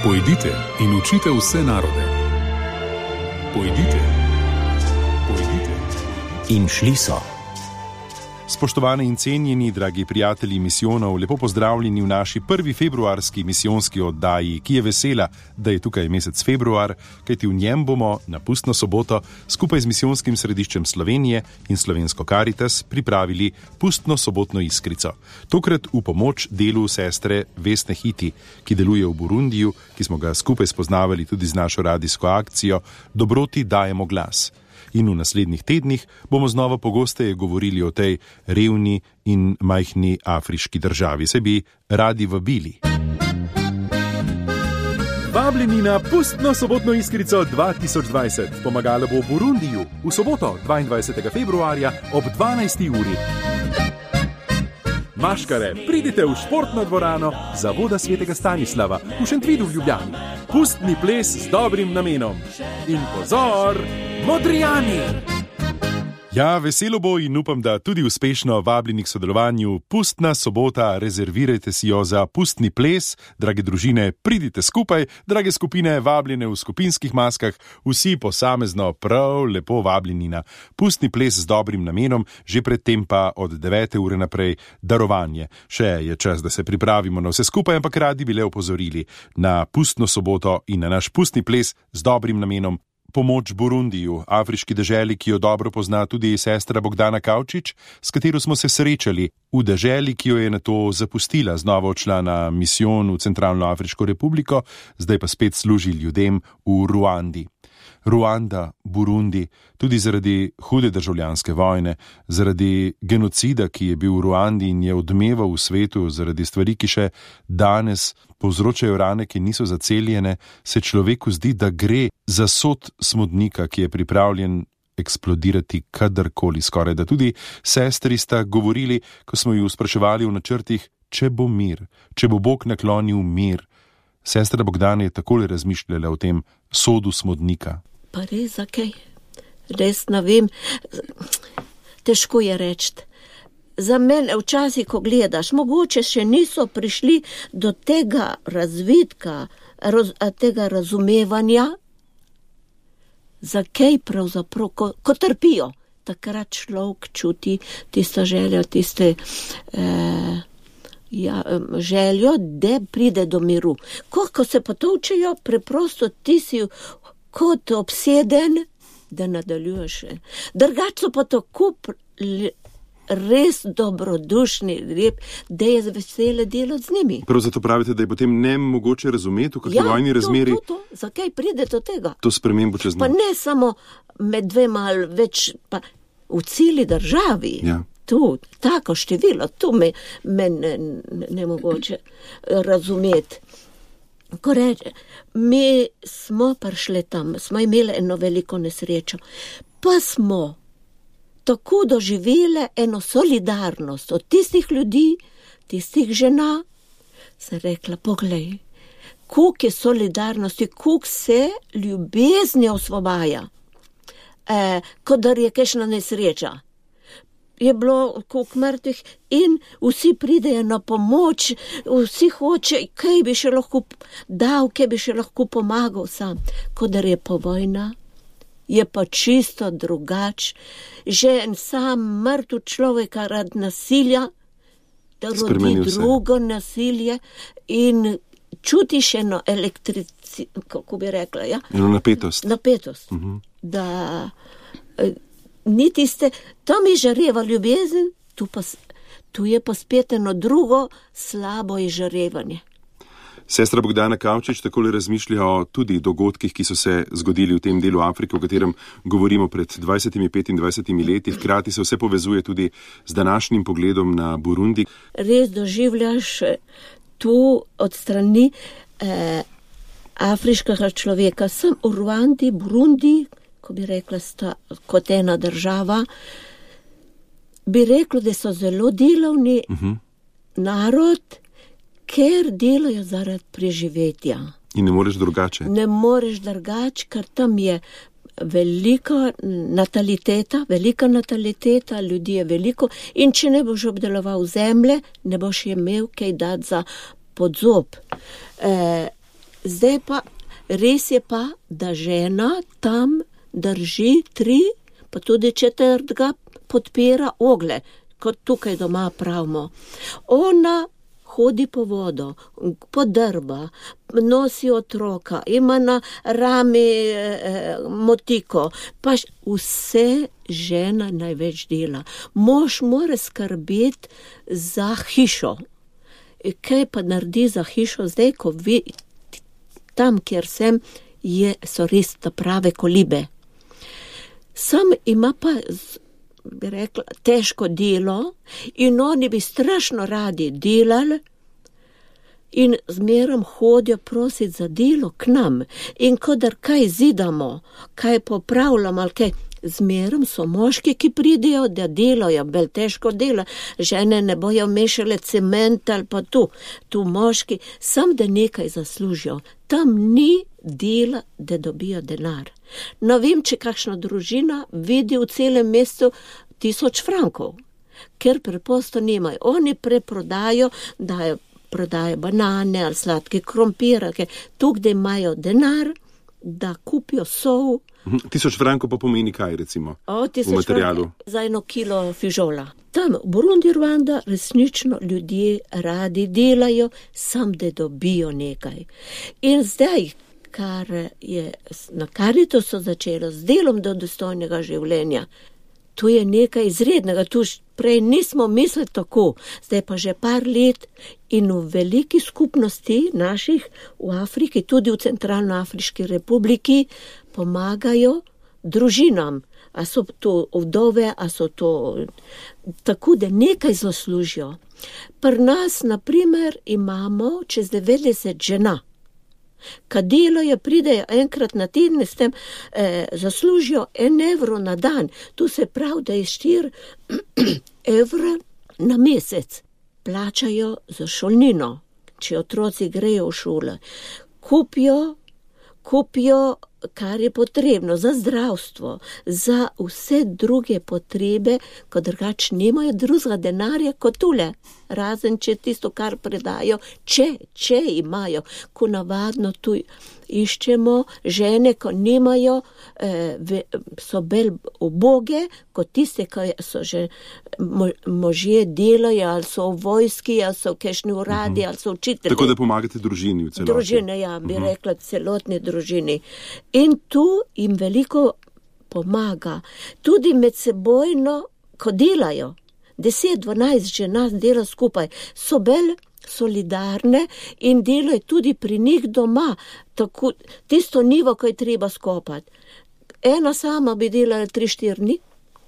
Pojdite in učite vse narode. Pojdite. In šli so. Spoštovani in cenjeni, dragi prijatelji misijonov, lepo pozdravljeni v naši prvi februarski misijonski oddaji, ki je vesela, da je tukaj mesec februar, kajti v njem bomo na pustno soboto skupaj z misijonskim središčem Slovenije in Slovensko Karitas pripravili pustno sobotno iskrico. Tokrat v pomoč delu sestre Vesne Hiti, ki deluje v Burundiju, ki smo ga skupaj spoznavali tudi z našo radijsko akcijo Dobroti dajemo glas. In v naslednjih tednih bomo znova pogosteje govorili o tej revni in majhni afriški državi. Se bi radi vabili. Vabljeni na pustno sobotno iskrico 2020. Pomagala bo v Burundiju v soboto 22. februarja ob 12. uri. Maškare, pridite v športno dvorano Zavoda svetega Stanislava v Šentvidu v Ljubljani. Pustni ples z dobrim namenom. In pozor, Modrijani! Ja, veselo bo in upam, da tudi uspešno vabljeni k sodelovanju. Pustna sobota, rezervirajte si jo za pustni ples. Drage družine, pridite skupaj, drage skupine, vabljene v skupinskih maskah, vsi posamezno prav lepo vabljeni na pustni ples z dobrim namenom, že predtem pa od 9. ure naprej darovanje. Še je čas, da se pripravimo na vse skupaj, ampak radi bi le opozorili na pustno soboto in na naš pustni ples z dobrim namenom. Pomoč Burundiju, afriški deželi, ki jo dobro pozna tudi sestra Bogdana Kavčič, s katero smo se srečali v deželi, ki jo je nato zapustila, znova odšla na misijon v Centralno Afriško republiko, zdaj pa spet služi ljudem v Ruandi. Ruanda, Burundi, tudi zaradi hude državljanske vojne, zaradi genocida, ki je bil v Ruandi in je odmeval v svetu, zaradi stvari, ki še danes povzročajo rane, ki niso zaceljene, se človeku zdi, da gre za sod smodnika, ki je pripravljen eksplodirati kadarkoli skoraj. Da tudi sestri sta govorili, ko smo ju spraševali v načrtih, če bo mir, če bo Bog naklonil mir. Sestra Bogdana je takole razmišljala o tem sodu smodnika. Pa res, zakaj? Res ne vem. Težko je reči. Za mene včasih, ko gledaš, mogoče še niso prišli do tega razvidka, tega razumevanja, zakaj pravzaprav, ko trpijo. Takrat človek čuti tisto željo, željo, da pride do miru. Ko se potovčejo, preprosto ti si kot obseden, da nadaljuješ. Drugače so pa tako res dobrodušni, lep, da je vesele delati z njimi. Prav zato pravite, da je potem nemogoče razumeti, v kakšni vojni razmeri. Ja, to. Zakaj pride do tega? To spremembo čez noč. Pa ne samo med dvema ali več, pa v celi državi. Ja. Tu, tako število, tu me nemogoče razumeti. Ko reče, mi smo prišli tam, smo imeli eno veliko nesrečo, pa smo tako doživeli eno solidarnost od tistih ljudi, tistih žena, sem rekla, poglej, koliko je solidarnosti, koliko se ljubezni osvobaja, kot da je kakšna nesreča. Je bilo koliko mrtvih in vsi pridejo na pomoč, vsi hoče, kaj bi še lahko dal, kaj bi še lahko pomagal sam. Kodar je pa vojna, je pa čisto drugač. Že sam mrtv človeka rad nasilja, da rodi drugo nasilje in čutiš eno kako bi rekla, ja? Eno napetost. Napetost, da ni tiste, tam je žareva ljubezen, tu je pa spet eno drugo slabo izžarevanje. Sestra Bogdana Kavčič takole razmišlja o tudi dogodkih, ki so se zgodili v tem delu Afrike, o katerem govorimo pred 20-25 leti. Hkrati se vse povezuje tudi z današnjim pogledom na Burundi. Res doživljaš tu od strani afriškega človeka. Sem v Ruandi, Burundi, ko bi rekla, sta kot ena država, bi rekla, da so zelo delovni narod, ker delajo zaradi preživetja. In ne moreš drugače. Ne moreš drugače, ker tam je velika nataliteta, ljudi je veliko in če ne boš obdeloval zemlje, ne boš imel kaj dati za podzob. Zdaj pa, res je pa, da žena tam drži 3, pa tudi 4 podpira ogle, kot tukaj doma pravimo. Ona hodi po vodo, podrba, nosi otroka, ima na rami motiko, pa vse žena največ dela. Mož mora skrbeti za hišo. Kaj pa naredi za hišo zdaj, ko tam, kjer sem, so res ta prave kolibe. Sam ima pa, bi rekla, težko delo in oni bi strašno radi delali in zmerom hodijo prositi za delo k nam. In kodar kaj zidamo, kaj popravljamo ali kaj, zmerom so moški, ki pridejo, da delajo, bolj težko dela. Žene ne bojo mešale cement ali pa tu moški, sam da nekaj zaslužijo. Tam ni dela, da dobijo denar. No, vem, če kakšna družina vidi v celem mestu 1000 frankov, ker preprosto nimajo. Oni preprodajo, prodajo banane ali sladke krompirake, tukaj imajo denar, da kupijo sol. 1000 frankov pa pomeni kaj, recimo, v materialu? Za 1 kilo fižola. Tam v Burundi, Rwanda, resnično ljudje radi delajo, sam da dobijo nekaj. In zdaj, kar je na Caritasu začelo z delom do dostojnega življenja, tu je nekaj izrednega, tu prej nismo mislili tako, zdaj pa že par let in v veliki skupnosti naših v Afriki, tudi v Centralnoafriški republiki, pomagajo družinam. A so to vdove, a so to tako, da nekaj zaslužijo. Pri nas, na primer, imamo čez 90 žena. Kad delajo, pridejo enkrat na teden, s tem zaslužijo 1 evro na dan. Tu se pravi, da je 4 evra na mesec. Plačajo za šolnino, če otroci grejo v šole. Kupijo, kar je potrebno za zdravstvo, za vse druge potrebe, ko drugače nimajo drugega denarja kot tule. Razen, če tisto, kar predajo, če imajo, ko navadno tu iščemo žene, ko nimajo, so bolj uboge, kot tiste, ko so že možje delajo, ali so v vojski, ali so v kakšni uradi, ali so učitelji. Tako da pomagate družini v celoti. Družine, ja, bi rekla, celotni družini. In tu jim veliko pomaga. Tudi med sebojno, ko delajo, 10-12 žena dela skupaj, so bolj solidarne in delajo tudi pri njih doma, tako, tisto nivo, ko je treba skopati. Ena sama bi delala 3-4 dni,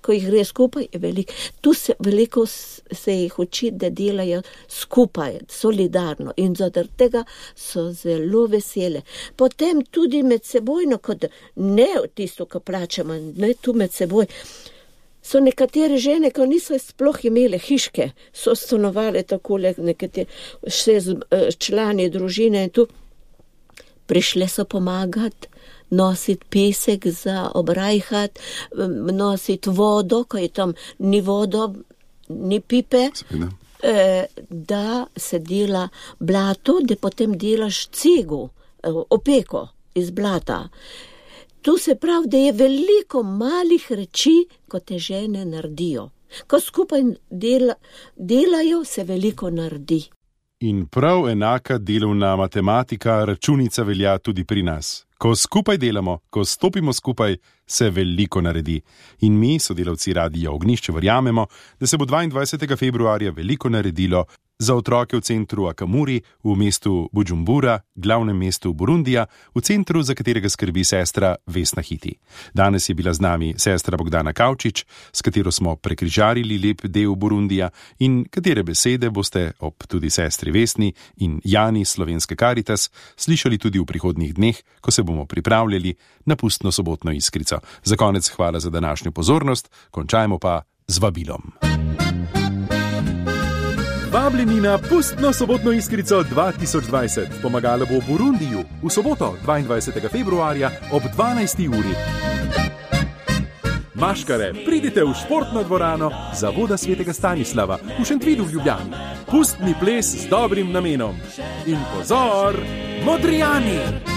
ko jih gre skupaj, je veliko. Tu veliko se jih uči, da delajo skupaj, solidarno in zaradi tega so zelo vesele. Potem tudi med sebojno, kot ne tisto, ko plačamo, ne tu med seboj, so nekatere žene, ko niso sploh imele hiške, so stanovale takole, nekatere člani družine in tu prišle so pomagati, nositi pesek za obrajhat, nositi vodo, ko je tam ni vodo, ni pipe, da se dela blato, da potem delaš cegu, opeko iz blata. Tu se pravi, da je veliko malih reči, ko te žene naredijo. Ko skupaj delajo, se veliko naredi. In prav enaka delovna matematika, računica velja tudi pri nas. Ko skupaj delamo, ko stopimo skupaj, se veliko naredi. In mi, sodelavci Radia Ognjišče, verjamemo, da se bo 22. februarja veliko naredilo za otroke v centru Akamuri, v mestu Bujumbura, glavnem mestu Burundija, v centru, za katerega skrbi sestra Vesna Hiti. Danes je bila z nami sestra Bogdana Kavčič, s katero smo prekrižarili lep del Burundija in katere besede boste ob tudi sestri Vesni in Jani Slovenske Caritas slišali tudi v prihodnjih dneh, ko se bomo pripravljali na pustno sobotno iskrico. Za konec hvala za današnjo pozornost, končajmo pa z vabilom. Vabljeni na pustno sobotno iskrico 2020. Pomagala bo v Burundiju v soboto 22. februarja ob 12. uri. Maškare, pridite v športno dvorano Zavoda svetega Stanislava v Šentvidu v Ljubljani. Pustni ples z dobrim namenom. In pozor, Modrijani!